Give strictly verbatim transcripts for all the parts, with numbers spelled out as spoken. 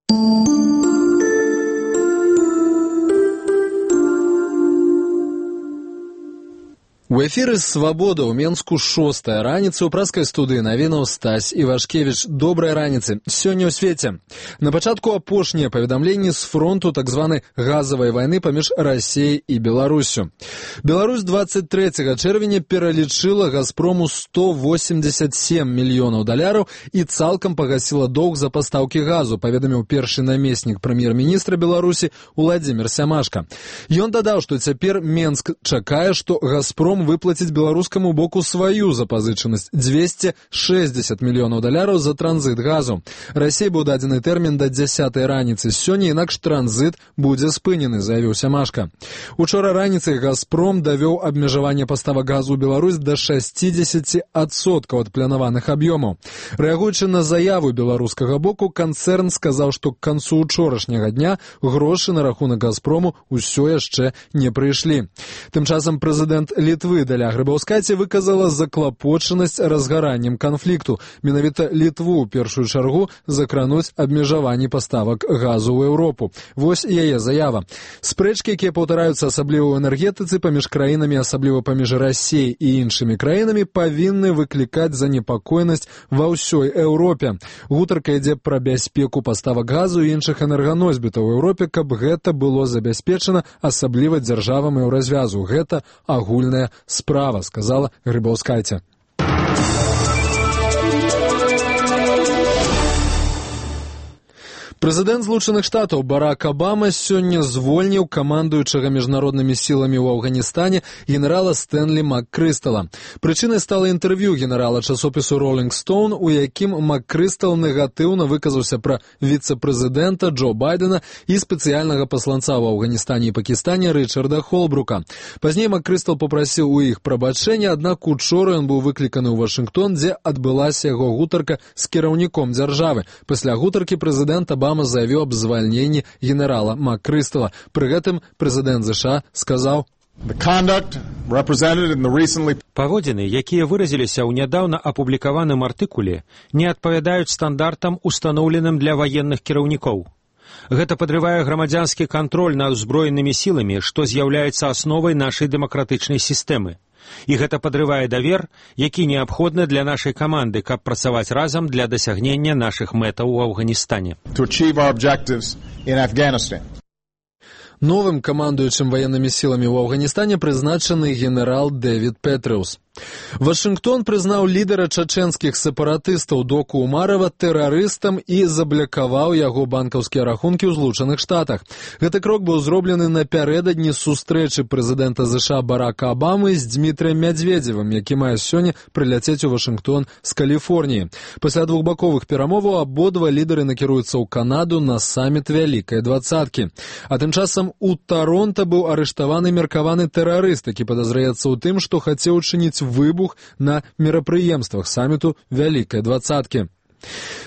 У эфіры «Свабода» ў Менску шостая раніца ў праскай студыі навінаў Стась Івашкевіч. Добрай раніцы. Сёння ў свеце. На пачатку апошнія паведамленні з фронту так званай газавай вайны паміж Расіяй і Беларусю. Беларусь двадцать трэцяга чэрвеня пералічыла «Газпрому» сто восемьдесят семь мільёнаў даляраў і цалкам пагасіла доўг за пастаўкі газу, паведаміў першы намеснік прэм'ер-міністра Беларусі Уладзімір Сямашка. Ён дадаў, што цяпер Менск чакае, што «Газпром» выплаціць беларускаму боку сваю запазычанасць двести шестьдесят мільёнаў даляраў за транзит газу. Расіі быў дадзены тэрмін да дзясятай раніцы. Сёння інакш транзит будзе спынены, заявіў Сямашка. Учора раніцай «Газпром» давёў абмежаванне паставак газу ў Беларусь да шестьдесят адсоткаў ад планаваных аб'ёмаў. Рэагуючы на заяву беларускага боку, канцэрн сказаў, што к канцу учорашняга дня грошы на рахунак «Газпрому» ўсё яшчэ не прыйшлі. Тым часам прэзідэнт Літвы Даля Грыбаўскаці выказала заклапочанасць разгараннем канфлікту. Менавіта Літву ў першую чаргу закрануць абмежаванні паставак газу ў Еўропу. Вось яе заява. Спрэчкі, якія паўтараюцца асабліва ў энергетыцы паміж краінамі, асабліва паміж Расіяй і іншымі краінамі, павінны выклікаць занепакоенасць ва ўсёй Еўропе. Гутарка ідзе пра бяспеку паставак газу і іншых энерганосьбітаў у Еўропе, каб гэта было забяспечана асабліва дзяржавам еўразвязу. Гэта агульная справа, сказала Грыбаўскайце. Прэзідэнт Злучаных Штатаў Барак Абама сёння звольніў камандуючага міжнароднымі сіламі ў Афганістане генерала Стэнлі МакКрыстала. Прычынай стала інтэрв'ю генерала часопісу «Роллінг Стоун», у якім МакКрыстал негатыўна выказаўся пра віцэ-прэзідэнта Джо Байдена і спецыяльнага пасланца ў Афганістане і Пакістане Рычарда Холбрука. Пазней МакКрыстал попрасіў у іх прабачэння, аднак учора ён быў выкліканы ў Вашынгтон, дзе адбылася яго гутарка з кіраўніком дзяржавы. Пасля гутаркі прэзідэнт Абама заявіў аб звальненні генерала МакКрыстала. Пры гэтым прэзідэнт ЗША сказаў: Паводзіны, якія выразіліся ў нядаўна апублікаваным артыкуле, не адпавядаюць стандартам, устаноўленым для ваенных кіраўнікоў. Гэта падрывае грамадзянскі кантроль над узброенымі сіламі, што з'яўляецца асновай нашай дэмакратычнай сістэмы. І гэта падрывае давер, які неабходны для нашай каманды, каб працаваць разам для дасягнення нашых мэтаў у Афганістане. Новым камандуючым ваеннымі сіламі ў Афганістане прызначаны генерал Дэвід Петрэус. Вашынгтон прызнаў лідара чачэнскіх сепаратыстаў Доку Умарова тэрарыстам і заблакаваў яго банкаўскія рахункі ў Злучаных Штатах. Гэты крок быў зроблены напярэдадні сустрэчы прэзідэнта ЗША Барака Абамы з Дмітрыем Мядзведзевым, які мае сёння прыляцець у Вашынгтон з Каліфорніі. Пасля двухбаковых перамоваў абодва лідары накіруюцца ў Канаду на саміт Вялікай дваццаткі. А тым часам у Таронта быў арыштаваны меркаваны тэрарыст, які падазраецца ў тым, што хацеў учыніць выбух на мерапрыемствах саміту Вялікай дваццаткі.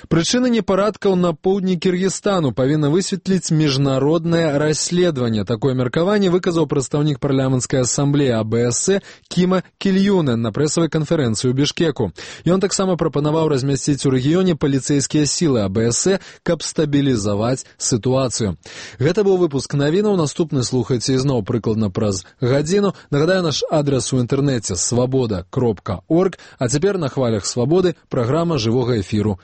Прычыны непарадкаў на поўдні Кіргізстану павінна высветліць міжнароднае расследаванне. Такое меркаванне выказаў прадстаўнік парламенцкай асамблеі АБС Кіма Кільюнен на прэсавай канферэнцыі ў Бішкеку. Ён таксама прапанаваў размясціць у рэгіёне паліцэйскія сілы АБС, каб стабілізаваць сітуацыю. Гэта быў выпуск навінаў. Наступны слухайце ізноў прыкладна праз гадзіну. Нагадаю, наш адрас у інтэрнэце свабода кропка орг, а цяпер на хвалях свабоды праграма жывога эфіру